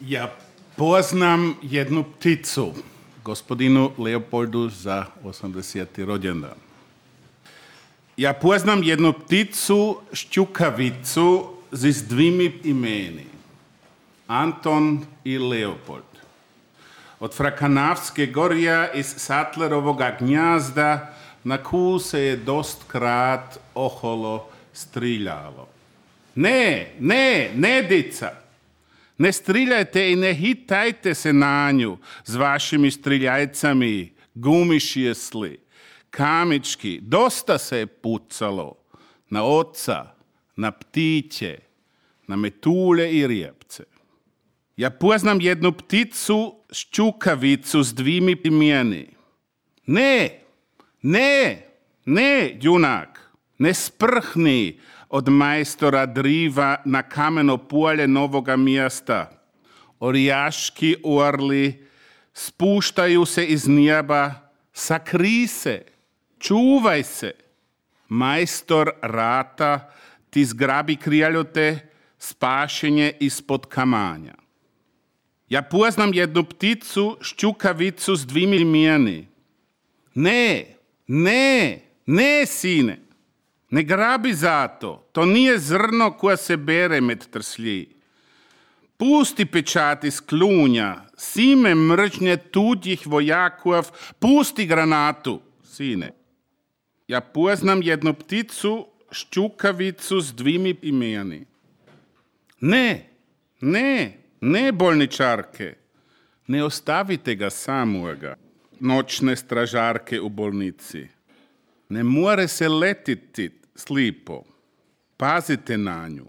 Ja poznam jednu pticu, gospodinu Leopoldu za 80. rođendan. Ja poznam jednu pticu, šćukavicu, s dvimi imeni. Anton i Leopold. Od Frakanavske gorja iz Sattlerovoga gnjazda na koju se je dost krat oholo striljalo. Ne, dica! Ne striljajte i ne hitajte se na nju s vašimi striljajcami, gumišjesli, kamički. Dosta se je pucalo na oca, na ptiće, na metulje i rijepce. Ja poznam jednu pticu, šćukavicu s dvimi imeni. Ne, junak, ne sprhni od majstora Driva na kameno polje Novoga mjesta. Orijaški orli spuštaju se iz neba, sakri se, čuvaj se. Majstor rata ti zgrabi krijaljote, spašenje ispod kamanja. Ja poznam jednu pticu, šćukavicu s dvimi imeni. Ne, sine. Ne grabi zato, to nije zrno koje se bere med trslji. Pusti pečat iz klunja, sime mržnje tuđih vojakov, pusti granatu, sine. Ja poznam jednu pticu, šćukavicu s dvimi imeni. Ne, bolničarke, ne ostavite ga samoga, noćne stražarke u bolnici. Ne more se letiti slipo. Pazite na nju.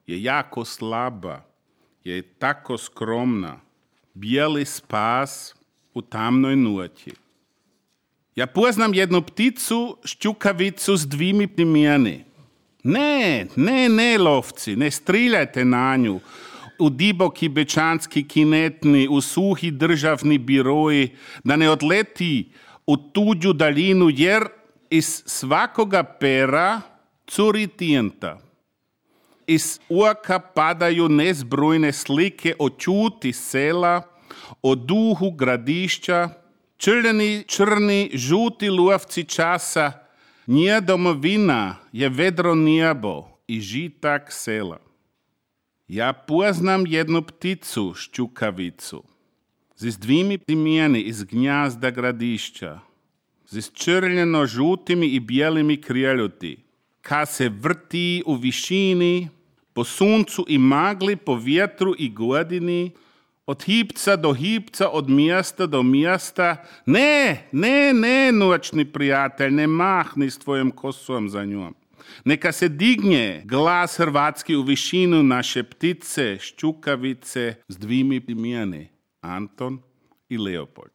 Je jako slaba. Je tako skromna. Bijeli spas u tamnoj noći. Ja poznam jednu pticu, šćukavicu s dvimi imeni. Ne, lovci, ne striljajte na nju. U diboki bečanski kinetni, u suhi državni biroji, da ne odleti u tuđu daljinu, jer iz svakoga pera curi tinta. Iz oka padaju nezbrojne slike o čuti sela, o duhu gradišća, črni, žuti lovci časa. Nje domovina je vedro nebo i žitak sela. Ja poznam jednu pticu, šćukavicu, s dvimi imeni iz gnjazda gradišća, s črljeno žutimi i bijelimi krijeljoti, ka se vrti u višini, po suncu i magli, po vjetru i godini, od hipca do hipca, od mjesta do mjesta. Ne, noćni prijatelj, ne mahni s tvojom kosom za njom. Neka se digne glas hrvatski u višinu naše ptice, šćukavice s dvimi imeni, Anton i Leopold.